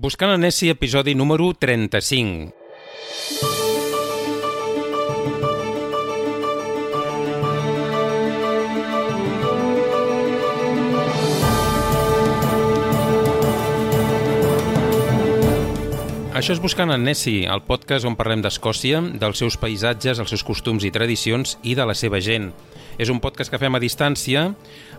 Buscant en Nessie, episodi número 35. Això és Buscant en Nessie, el podcast on parlem d'Escòcia, dels seus paisatges, els seus costums i tradicions i de la seva gent. És un podcast que fem a distància,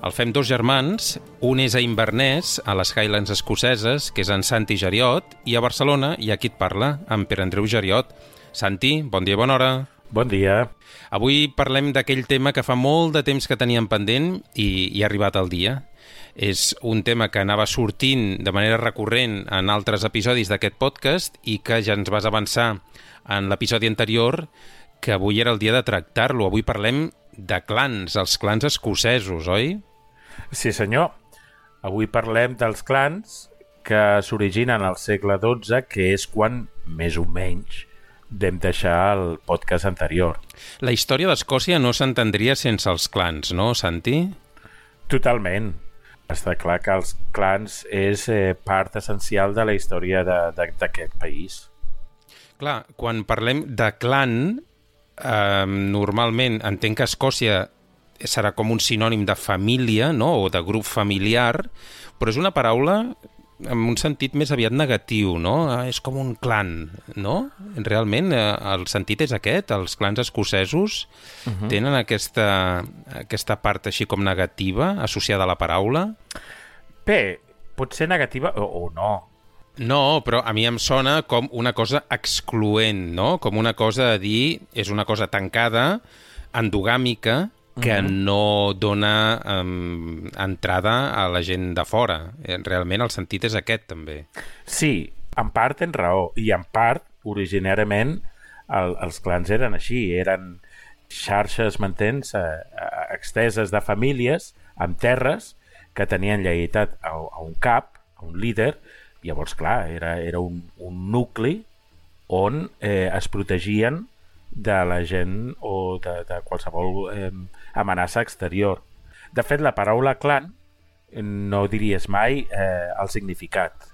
el fem dos germans, un és a Inverness, a les Highlands escoceses, que és en Santi Geriot, i a Barcelona hi ha qui et parla, en Pere Andreu Geriot. Santi, bon dia, bona hora. Bon dia. Avui parlem d'aquell tema que fa molt de temps que teníem pendent i ha arribat el dia. És un tema que anava sortint de manera recurrent en altres episodis d'aquest podcast i que ja ens vas avançar en l'episodi anterior que avui era el dia de tractar-lo. Avui parlem de clans, els clans escocesos, oi? Sí, senyor. Avui parlem dels clans que s'originen al segle XII, que és quan, més o menys, vam deixar el podcast anterior. La història d'Escòcia no s'entendria sense els clans, no, Santi? Totalment. Està clar que els clans és part essencial de la història d'aquest país. Clar, quan parlem de clan, normalment entenc que Escòcia serà com un sinònim de família, no? O de grup familiar, però és una paraula en un sentit més aviat negatiu, no? És com un clan, no? Realment el sentit és aquest, els clans escocesos tenen aquesta part així com negativa associada a la paraula? Bé, pot ser negativa o no. No, però a mi em sona com una cosa excloent, no? Com una cosa a dir, és una cosa tancada, endogàmica, que no dona entrada a la gent de fora. Realment el sentit és aquest, també. Sí, en part tens raó, i en part, originàriament, els clans eren així, eren xarxes, m'entens, exteses de famílies amb terres que tenien lleialtat a un cap, a un líder. Llavors, clar, era un nucli on es protegien de la gent o de qualsevol amenaça exterior. De fet, la paraula clan no diries mai el significat.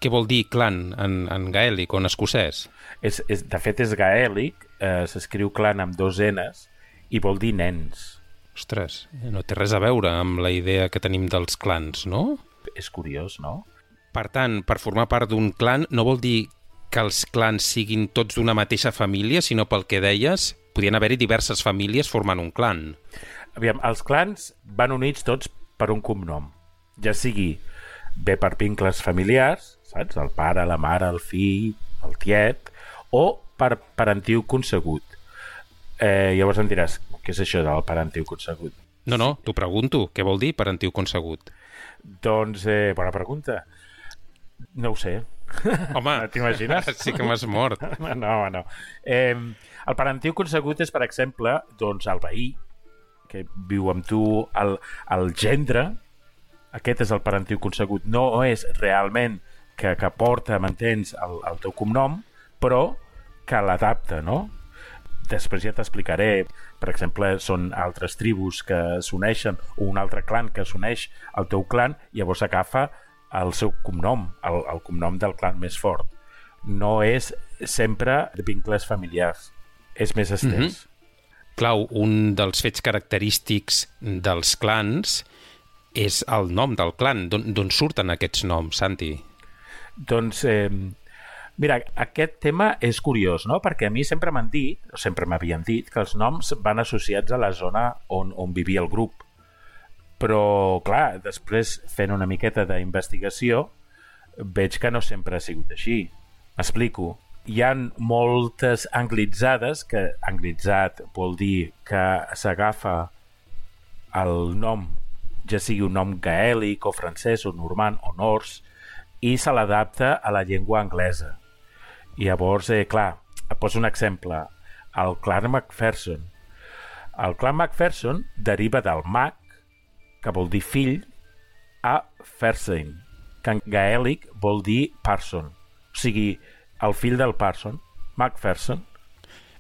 Què vol dir clan en gaèlic o en escocès? De fet, és gaèlic, s'escriu clan amb dos N's i vol dir nens. Ostres, no té res a veure amb la idea que tenim dels clans, no? És curiós, no? Per tant, per formar part d'un clan no vol dir que els clans siguin tots d'una mateixa família, sinó pel que deies, podien haver-hi diverses famílies formant un clan. Aviam, els clans van units tots per un cognom, ja sigui bé per vincles familiars, saps? El pare, la mare, el fill, el tiet, o per parentiu consegut. Llavors em diràs, què és això del parentiu consegut? No, t'ho pregunto, què vol dir parentiu consegut? Doncs, bona pregunta. No ho sé. Home, t'imagines? Sí que m'has mort. No. El parentiu consegut és, per exemple, doncs, el veí que viu amb tu, el gendre. Aquest és el parentiu consegut. No és realment que porta, m'entens, el teu cognom, però que l'adapta, no? Després ja t'explicaré. Per exemple, són altres tribus que s'uneixen o un altre clan que s'uneix al teu clan, llavors agafa el seu cognom, el cognom del clan més fort. No és sempre de vincles familiars, és més estès. Clau, un dels fets característics dels clans és el nom del clan. D'on surten aquests noms, Santi? Doncs, mira, aquest tema és curiós, no? Perquè a mi sempre m'han dit, o sempre m'havien dit, que els noms van associats a la zona on vivia el grup. Però, clar, després, fent una miqueta d'investigació, veig que no sempre ha sigut així. M'explico. Hi ha moltes anglitzades, que anglitzat vol dir que s'agafa el nom, ja sigui un nom gaèlic o francès o normand o nors, i se l'adapta a la llengua anglesa. I llavors, clar, et poso un exemple. El clan Macpherson. El clan Macpherson deriva del Mac, que vol dir fill, a Fersen, que en gaèlic vol dir parson. O sigui, el fill del parson, Macpherson.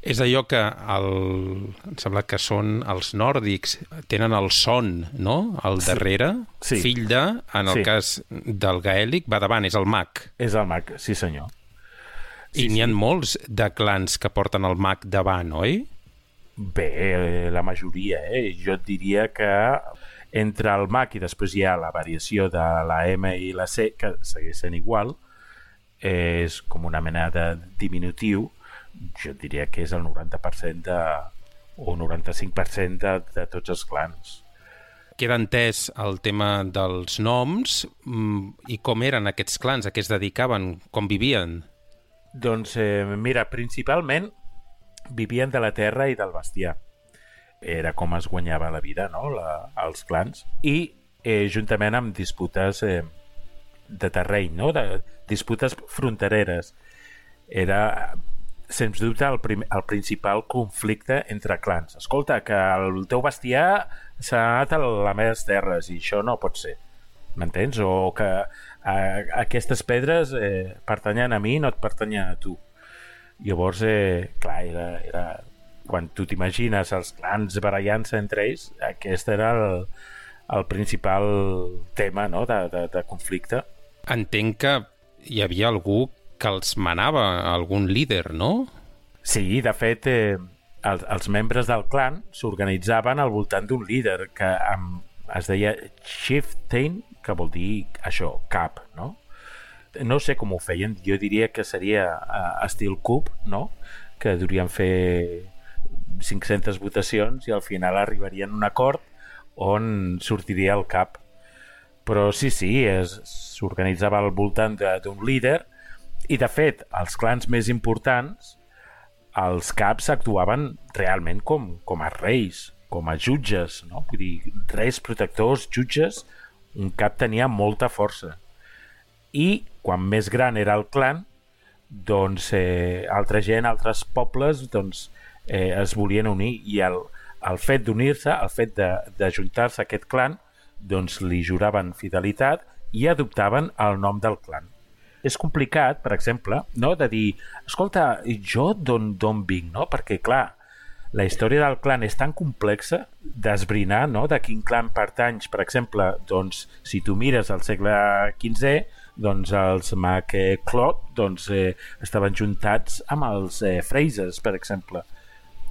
És allò que em sembla que són els nòrdics, tenen el son, no?, al darrere, Sí. fill de, en el cas del gaèlic, va davant, és el mag. És el mag, sí senyor. I n'hi ha molts de clans que porten el mag davant, oi? Bé, la majoria, Jo et diria que entre el mag i després hi ha la variació de la M i la C, que segueix sent igual, és com una mena de diminutiu, jo et diria que és el 90% o 95% de tots els clans. Queda entès el tema dels noms i com eren aquests clans, a què es dedicaven, com vivien? Doncs mira, principalment vivien de la terra i del bestiar. Era com es guanyava la vida, no?, els clans. I juntament amb disputes de terreny, no?, de disputes frontereres. Era, sens dubte, el principal conflicte entre clans. Escolta, que el teu bestiar s'ha anat a les meves terres i això no pot ser. M'entens? O que aquestes pedres pertanyen a mi i no et pertanyen a tu. Llavors, clar, era quan tu t'imagines els clans barallant-se entre ells, aquest era el principal tema, no?, de conflicte. Entenc que hi havia algú que els manava, algun líder, no? Sí, de fet, els membres del clan s'organitzaven al voltant d'un líder que es deia chieftain, que vol dir això, cap, no? No sé com ho feien, jo diria que seria estil cub, no?, que durien fer 500 votacions i al final arribarien a un acord on sortiria el cap. Però sí, s'organitzava al voltant d'un líder i, de fet, els clans més importants, els caps actuaven realment com a reis, com a jutges, no? Vull dir, reis, protectors, jutges, un cap tenia molta força. I quan més gran era el clan, doncs altra gent, altres pobles, doncs es volien unir i el fet d'unir-se, el fet d'ajuntar-se a aquest clan, doncs li juraven fidelitat i adoptaven el nom del clan. És complicat, per exemple, no?, de dir, escolta, jo d'on vinc, no? Perquè, clar, la història del clan és tan complexa d'esbrinar, no?, de quin clan pertanys. Per exemple, doncs, si tu mires al segle XV, doncs els MacLeod estaven juntats amb els Frasers, per exemple.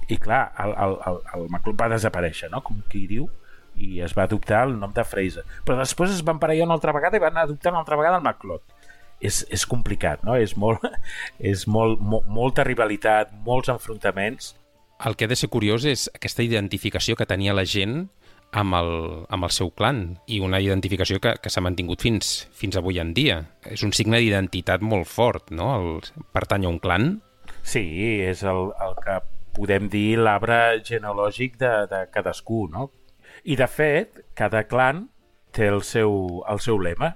I clar, el MacLeod va desaparèixer, no?, com qui diu, i es va adoptar el nom de Fraser. Però després es van parellar una altra vegada i van adoptar una altra vegada el MacLeod. És complicat, no? És molta rivalitat, molts enfrontaments. El que ha de ser curiós és aquesta identificació que tenia la gent amb el seu clan i una identificació que s'ha mantingut fins avui en dia. És un signe d'identitat molt fort, no?, el pertany a un clan. Sí, és el que podem dir l'arbre genealògic de cadascú, no? I, de fet, cada clan té el seu lema.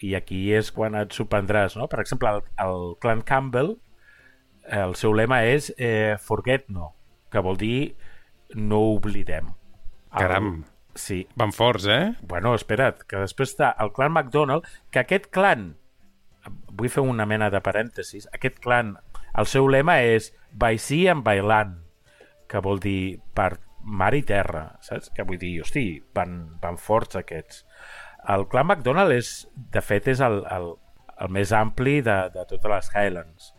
I aquí és quan et sorprendràs, no? Per exemple, el clan Campbell, el seu lema és Forget No, que vol dir no oblidem. Caram, sí. Van forts, Bueno, espera't, que després està el clan MacDonald, que aquest clan, vull fer una mena de parèntesis, aquest clan, el seu lema és by sea and by land, que vol dir per mar i terra, saps? Que vull dir, hosti, van forts aquests. El clan MacDonald de fet, és el més ampli de totes les Highlands.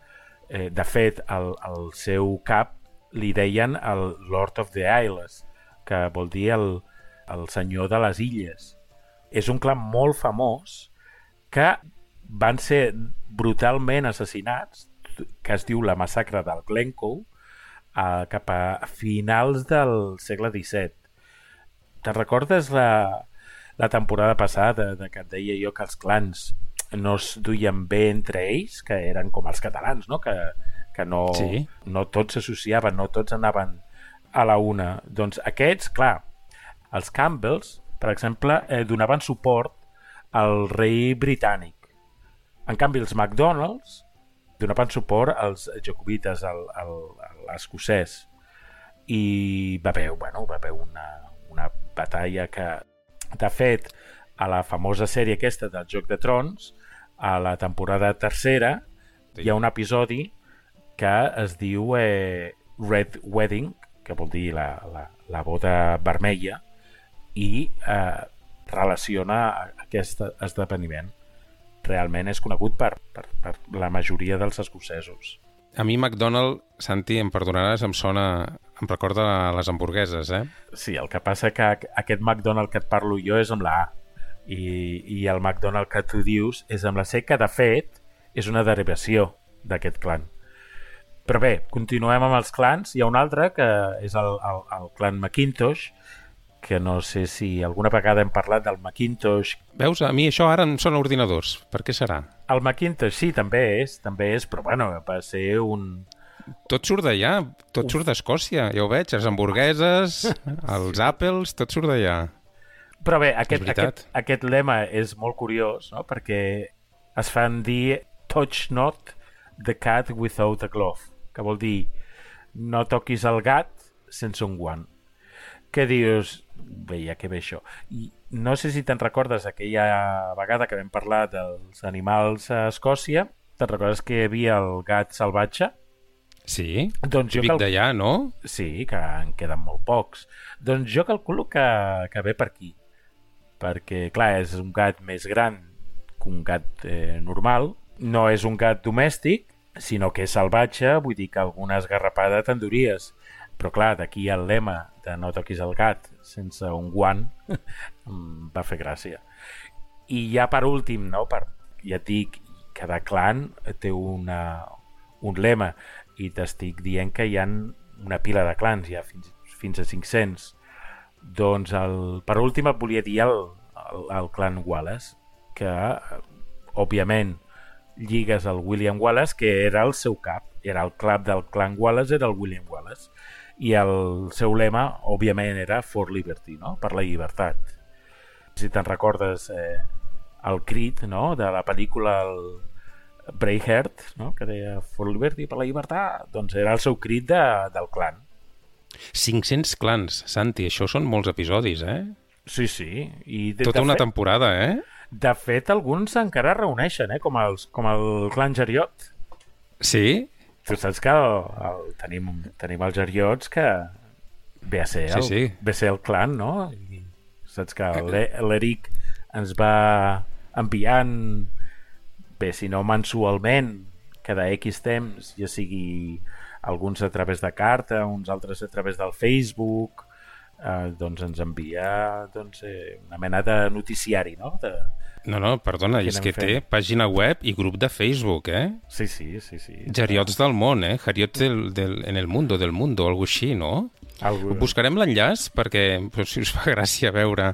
De fet, el seu cap li deien el Lord of the Isles, que vol dir el senyor de les illes. És un clan molt famós que van ser brutalment assassinats, que es diu la massacre del Glencoe, cap a finals del segle XVII. Te'n recordes la temporada passada que et deia jo que els clans no es duien bé entre ells, que eren com els catalans, no? Que no, sí, no tots s'associaven, no tots anaven a la una. Doncs aquests, clar, els Campbells, per exemple, donaven suport al rei britànic. En canvi, els MacDonalds donaven suport als jacobites, a l'escocès. I va haver una batalla que, de fet, a la famosa sèrie aquesta del Joc de Trons, a la temporada tercera, hi ha un episodi que es diu Red Wedding, que vol dir la boda vermella, i relaciona aquest esdeveniment. Realment és conegut per la majoria dels escocesos. A mi McDonald, Santi, em perdonaràs, em recorda les hamburgueses, eh? Sí, el que passa que aquest McDonald que et parlo jo és amb la A i el McDonald que tu dius és amb la C, que de fet és una derivació d'aquest clan. Però bé, continuem amb els clans. Hi ha un altre que és el clan Mackintosh, que no sé si alguna vegada hem parlat del Mackintosh. Veus, a mi això ara em sona ordinadors. Per què serà? El Mackintosh sí, també és, però bueno, va ser un... Tot surt d'allà, tot surt d'Escòcia, ja ho veig, les hamburgueses, els Apples, tot surt d'allà. Però bé, aquest lema és molt curiós, no? Perquè es fan dir touch not the cat without a glove, que vol dir no toquis el gat sense un guant. Què dius? Bé, ja que ve això. I no sé si te'n recordes aquella vegada que vam parlar dels animals a Escòcia. Te'n recordes que hi havia el gat salvatge? Sí, doncs típic d'allà, no? Sí, que en queden molt pocs. Doncs jo calculo que ve per aquí. Perquè, clar, és un gat més gran que un gat normal. No és un gat domèstic, sinó que és salvatge, vull dir que alguna esgarrapada t'enduries. Però clar, d'aquí el lema de no toquis el gat sense un guant em va fer gràcia. I ja per últim, no? Ja et dic, cada clan té un lema i t'estic dient que hi ha una pila de clans, ja fins a 500. Doncs per últim et volia dir el clan Wallace, que òbviament lligues al William Wallace, que era el seu cap. Era el cap del clan Wallace, era el William Wallace. I el seu lema, òbviament, era For Liberty, no? Per la llibertat. Si te'n recordes el crit, no? De la pel·lícula Braveheart, no? Que deia For Liberty, per la llibertat, doncs era el seu crit del clan. 500 clans, Santi, això són molts episodis, eh? Sí, sí. I tota una temporada, eh? De fet, alguns encara reuneixen, com el clan Geriot. Sí? Tu saps que tenim els Geriots que ve a ser el clan, no? I saps que l'Eric ens va enviant, bé, si no mensualment, cada X temps, ja sigui alguns a través de carta, uns altres a través del Facebook, doncs ens envia una mena de noticiari, no? No, perdona, és que té pàgina web i grup de Facebook, eh? Sí. Geriots del món, eh? Geriots en el mundo, algo així, no? Buscarem l'enllaç perquè, si us fa gràcia veure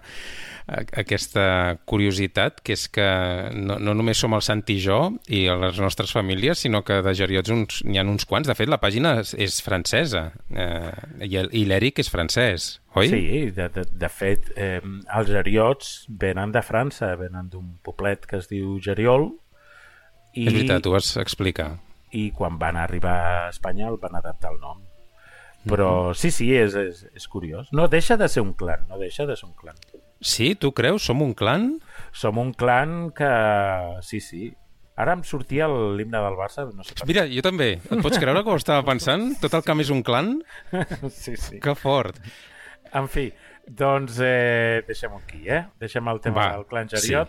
aquesta curiositat, que és que no només som el Santi i jo i les nostres famílies, sinó que de geriots n'hi ha uns quants. De fet, la pàgina és francesa i l'Eric és francès, oi? Sí, de fet, els geriots venen de França, venen d'un poblet que es diu Geriol. És veritat, ho vas explicar. I quan van arribar a Espanya el van adaptar el nom. Però sí, és curiós. No deixa de ser un clan, Sí, tu creus? Som un clan? Som un clan que... Sí. Ara em sortia l'himne del Barça. No sé. Mira, jo també. Et pots creure que ho estava pensant? Tot el camp és un clan? Sí. Que fort. En fi, doncs deixem-ho aquí, Deixem el tema del clan Geriot.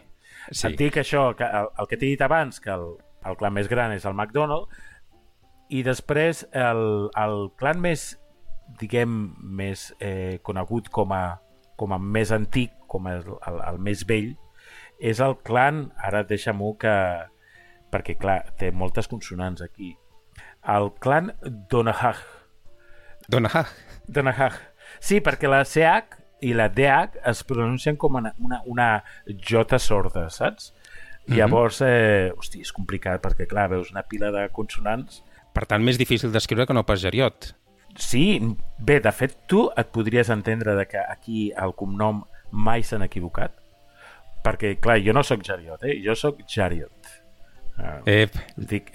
Sí. Et dic això, que el que t'he dit abans, que el clan més gran és el McDonald, i després el clan més, diguem, més conegut com a més antic, com el més vell, és el clan, ara deixa-m'ho perquè clar, té moltes consonants aquí, el clan Donahag. Sí, perquè la CH i la DH es pronuncien com una J sorda, saps? Llavors, és complicat perquè clar, veus una pila de consonants. Per tant, més difícil d'escriure que no pas Geriot. Sí, bé, de fet, tu et podries entendre que aquí el cognom mai s'han equivocat, perquè, clar, jo no sóc Geriot, jo sóc Geriot. Dic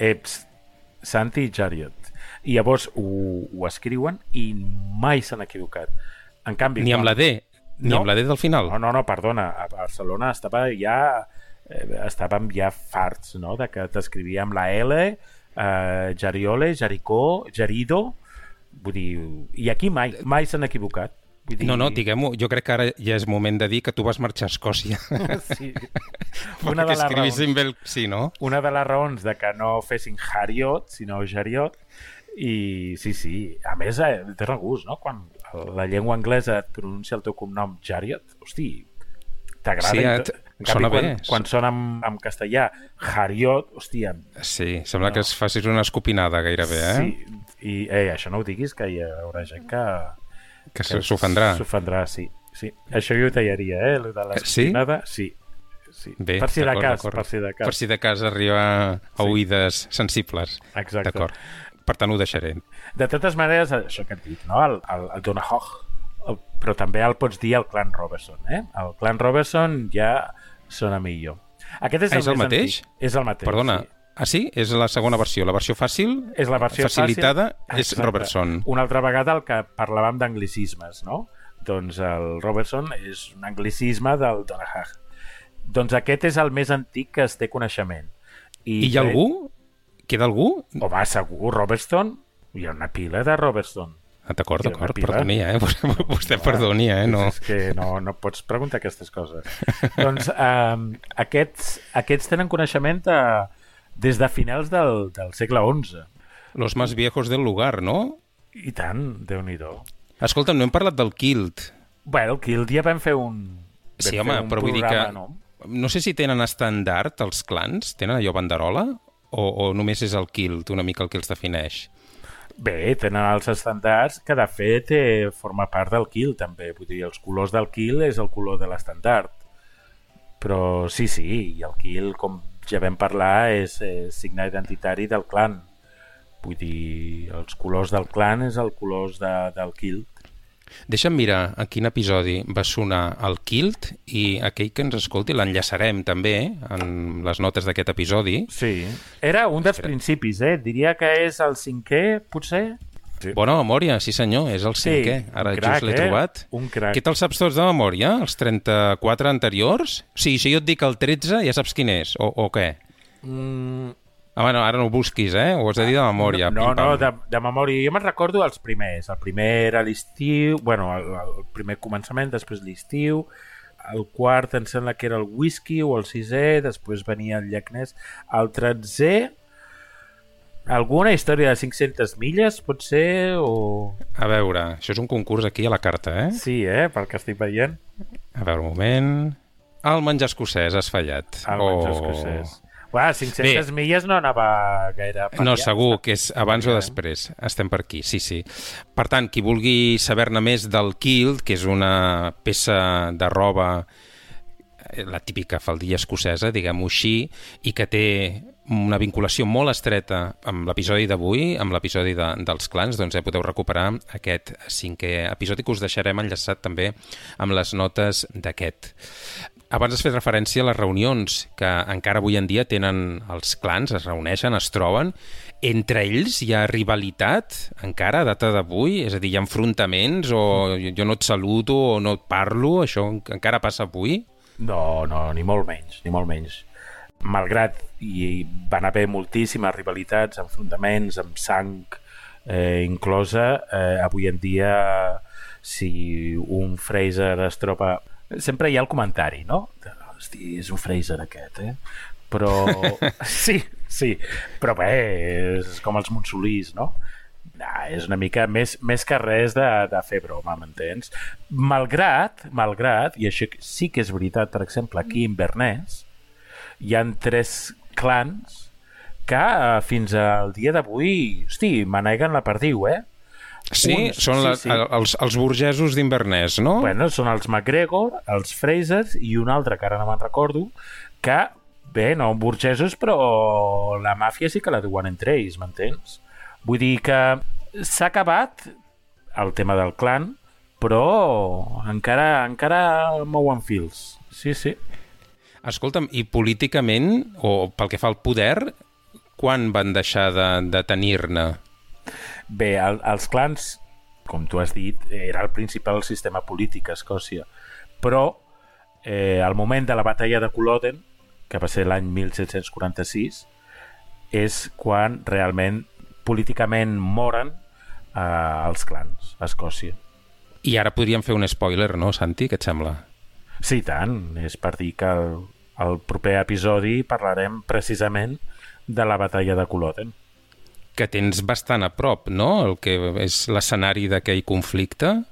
Santi Geriot. I llavors ho escriuen i mai s'han equivocat. En canvi... Ni amb la D, amb la D del final. No, perdona, a Barcelona estàvem ja farts, no?, de que t'escrivia amb la L, Geriole, Jericó, Gerido, Vull dir, i aquí mai s'han equivocat. Vull dir... No, diguem-ho, jo crec que ara ja és moment de dir que tu vas marxar a Escòcia. Sí. Perquè escrivissin bé... Sí, no? Una de les raons de que no fessin Hariot, sinó Jariot, i sí, a més té regust, no? Quan la llengua anglesa et pronuncia el teu cognom Jariot, hosti, t'agrada. Sí, en canvi, sona bé. Quan sona en castellà Hariot, hòstia... Sí, sembla que es facis una escopinada gairebé, eh? Sí, i això no ho diguis, que hi haurà gent que s'ofendrà. S'ofendrà, sí. Això jo ho tallaria, lo de l'escopinada, sí. Bé, per si de cas. Per si de cas arriba a oïdes sensibles. Exacte. D'acord. Per tant, ho deixaré. De totes maneres, això que et dic, no? El Donahoe, però també el pots dir el clan Robertson, eh? El clan Robertson ja sona millor. Aquest és el mateix? És el mateix. Perdona, sí. Sí? És la segona versió. La versió fàcil, és la versió facilitada, fàcil. És Robertson. Una altra vegada el que parlàvem d'anglicismes, no? Doncs el Robertson és un anglicisme del Donahoe. Doncs aquest és el més antic que es té coneixement. I hi ha algú? Queda algú? Home, segur, Robertson. Hi ha una pila de Robertson. D'acord, perdoni, vostè perdoni, No. És que no pots preguntar aquestes coses. Doncs aquests tenen coneixement des de finals del segle XI. Los más viejos del lugar, no? I tant, Déu-n'hi-do. Escolta'm, no hem parlat del Kilt. Bueno, el Kilt ja vam fer un... Sí, home, però vull dir que... No sé si tenen estàndard els clans, tenen allò banderola, o només és el Kilt, una mica el que els defineix? Bé, tenen els estàndards que de fet forma part del Kilt també, vull dir, els colors del Kilt és el color de l'estàndard, però sí, i el Kilt, com ja vam parlar, és signe identitari del clan, vull dir, els colors del clan és el colors del Kilt. Deixa'm mirar a quin episodi va sonar el Kilt i aquell que ens escolti l'enllaçarem també en les notes d'aquest episodi. Sí, era un dels principis, diria que és el 5è, potser? Sí. Bona memòria, sí senyor, és el 5è. Ara just l'he trobat. Un crac. Què te'l saps tots de memòria? Els 34 anteriors? Sí, si jo et dic el 13 ja saps quin és, o què? Bueno, ara no ho busquis, ho has de dir de memòria. No, de memòria. Jo me'n recordo els primers. El primer era l'estiu, bueno, el primer començament, després l'estiu, el quart em sembla que era el whisky o el 6è, després venia el llagnès, el 13è, alguna història de 500 milles, pot ser, o... A veure, això és un concurs aquí a la carta, Sí, pel que estic veient. A veure, un moment... El menjar escocès, has fallat. El menjar escocès. 500 milles no anava gaire... No, segur que és abans o després. Estem per aquí, sí. Per tant, qui vulgui saber-ne més del Kilt, que és una peça de roba, la típica faldilla escocesa, diguem-ho així, i que té una vinculació molt estreta amb l'episodi d'avui, amb l'episodi dels clans, doncs ja podeu recuperar aquest 5è episodi que us deixarem enllaçat també amb les notes d'aquest. Abans has fet referència a les reunions que encara avui en dia tenen els clans, es reuneixen, es troben. Entre ells hi ha rivalitat encara a data d'avui? És a dir, hi ha enfrontaments o jo no et saludo o no et parlo? Això encara passa avui? No, ni molt menys. Malgrat hi van haver moltíssimes rivalitats, enfrontaments, amb sang inclosa, avui en dia si un Fraser es troba... Sempre hi ha el comentari, no? Hosti, és un Fraser aquest, Però... Sí. Però bé, és com els Monsolís, no? És una mica més que res de fer broma, m'entens? Malgrat, i això sí que és veritat, per exemple, aquí a Inverness hi ha 3 clans que fins al dia d'avui, hosti, maneguen la perdiu, Sí, són els burgesos d'Inverness, no? Bueno, són els McGregor, els Frasers i un altre que ara no me'n recordo, que, bé, no burgesos, però la màfia sí que la duen entre ells, m'entens? Vull dir que s'ha acabat el tema del clan, però encara mouen fils. Sí. Escolta'm, i políticament, o pel que fa al poder, quan van deixar de tenir-ne? Bé, els clans, com tu has dit, era el principal sistema polític a Escòcia, però al moment de la batalla de Culloden, que va ser l'any 1746, és quan realment políticament moren als clans a Escòcia. I ara podríem fer un spoiler, no, Santi? Què et sembla? Sí, tant. És per dir que el proper episodi parlarem precisament de la batalla de Culloden. Que tens bastant a prop, no?, el que és l'escenari d'aquell conflicte.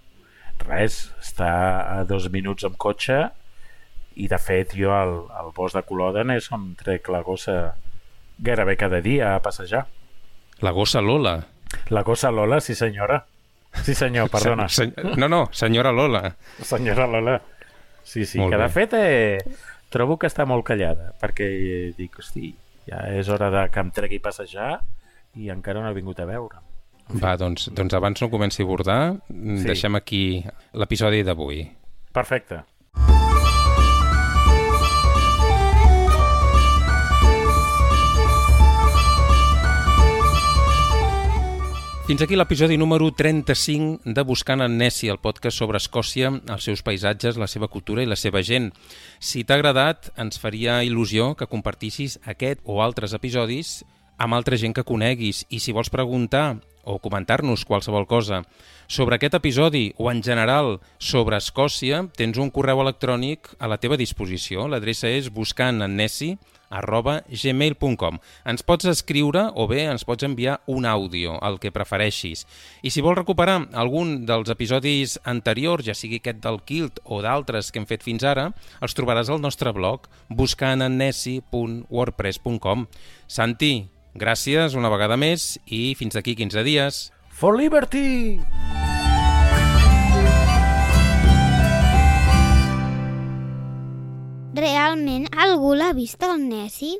Res, està a 2 minuts amb cotxe i, de fet, jo al bosc de Culloden és on trec la gossa gairebé cada dia a passejar. La gossa Lola. La gossa Lola, sí senyora. Sí senyor, perdona. No, senyora Lola. Senyora Lola. Sí, Molt que de bé. fet trobo que està molt callada, perquè dic, hosti, ja és hora que em tregui a passejar i encara no he vingut a veure. Va, doncs abans no comenci a bordar, deixem aquí l'episodi d'avui. Perfecte. Fins aquí l'episodi número 35 de Buscant en Nessie, el podcast sobre Escòcia, els seus paisatges, la seva cultura i la seva gent. Si t'ha agradat, ens faria il·lusió que compartissis aquest o altres episodis amb altra gent que coneguis. I si vols preguntar o comentar-nos qualsevol cosa sobre aquest episodi o en general sobre Escòcia, tens un correu electrònic a la teva disposició. L'adreça és buscantennnessie@gmail.com. Ens pots escriure o bé ens pots enviar un àudio, el que prefereixis. I si vols recuperar algun dels episodis anteriors, ja sigui aquest del Kilt o d'altres que hem fet fins ara, els trobaràs al nostre blog buscantennnessie.wordpress.com. Santi, gràcies una vegada més i fins d'aquí 15 dies. For Liberty! Realment algú l'ha vist el Nessie?